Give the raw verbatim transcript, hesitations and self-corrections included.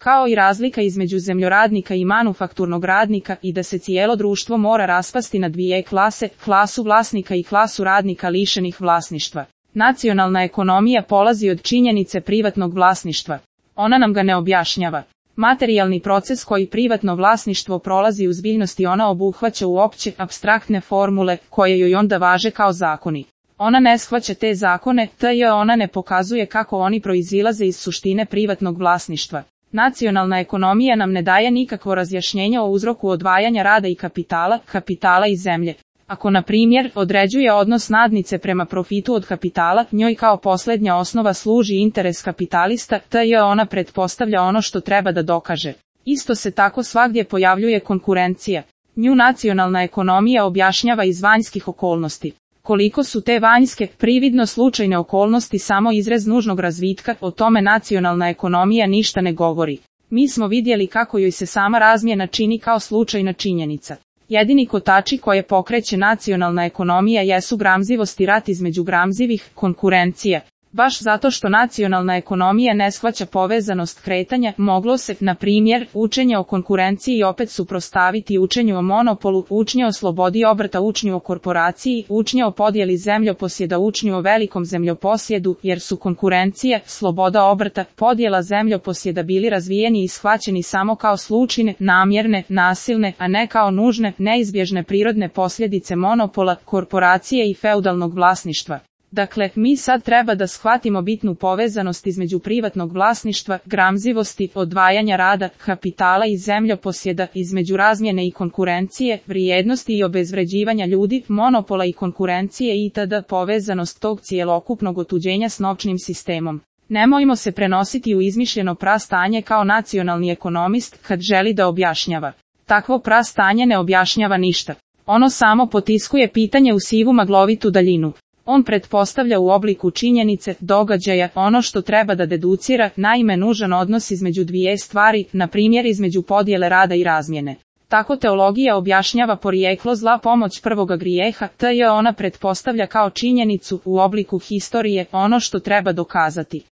kao i razlika između zemljoradnika i manufakturnog radnika i da se cijelo društvo mora raspasti na dvije klase, klasu vlasnika i klasu radnika lišenih vlasništva. Nacionalna ekonomija polazi od činjenice privatnog vlasništva. Ona nam ga ne objašnjava. Materijalni proces koji privatno vlasništvo prolazi u zbiljnosti ona obuhvaća u opće, apstraktne formule, koje joj onda važe kao zakoni. Ona ne shvaća te zakone, te ona ne pokazuje kako oni proizilaze iz suštine privatnog vlasništva. Nacionalna ekonomija nam ne daje nikakvo razjašnjenje o uzroku odvajanja rada i kapitala, kapitala i zemlje. Ako, na primjer, određuje odnos nadnice prema profitu od kapitala, njoj kao posljednja osnova služi interes kapitalista, te ona pretpostavlja ono što treba da dokaže. Isto se tako svagdje pojavljuje konkurencija. Nju nacionalna ekonomija objašnjava iz vanjskih okolnosti. Koliko su te vanjske, prividno slučajne okolnosti samo izraz nužnog razvitka, o tome nacionalna ekonomija ništa ne govori. Mi smo vidjeli kako joj se sama razmjena čini kao slučajna činjenica. Jedini kotači koje pokreće nacionalna ekonomija jesu gramzivost i rat između gramzivih, konkurencija. Baš zato što nacionalna ekonomija ne shvaća povezanost kretanja, moglo se, na primjer, učenje o konkurenciji opet suprotstaviti učenju o monopolu, učnje o slobodi obrta, učnju o korporaciji, učnje o podjeli zemljoposjeda, učnju o velikom zemljoposjedu, jer su konkurencija, sloboda obrta, podjela zemljoposjeda bili razvijeni i shvaćeni samo kao slučajne, namjerne, nasilne, a ne kao nužne, neizbježne prirodne posljedice monopola, korporacije i feudalnog vlasništva. Dakle, mi sad treba da shvatimo bitnu povezanost između privatnog vlasništva, gramzivosti, odvajanja rada, kapitala i zemljoposjeda, između razmjene i konkurencije, vrijednosti i obezvređivanja ljudi, monopola i konkurencije itd. Povezanost tog cijelokupnog otuđenja s novčnim sistemom. Nemojmo se prenositi u izmišljeno prastanje kao nacionalni ekonomist kad želi da objašnjava. Takvo prastanje ne objašnjava ništa. Ono samo potiskuje pitanje u sivu maglovitu daljinu. On pretpostavlja u obliku činjenice, događaja, ono što treba da deducira, naime nužan odnos između dvije stvari, na primjer između podjele rada i razmjene. Tako teologija objašnjava porijeklo zla, pomoć prvoga grijeha, te ona pretpostavlja kao činjenicu, u obliku historije, ono što treba dokazati.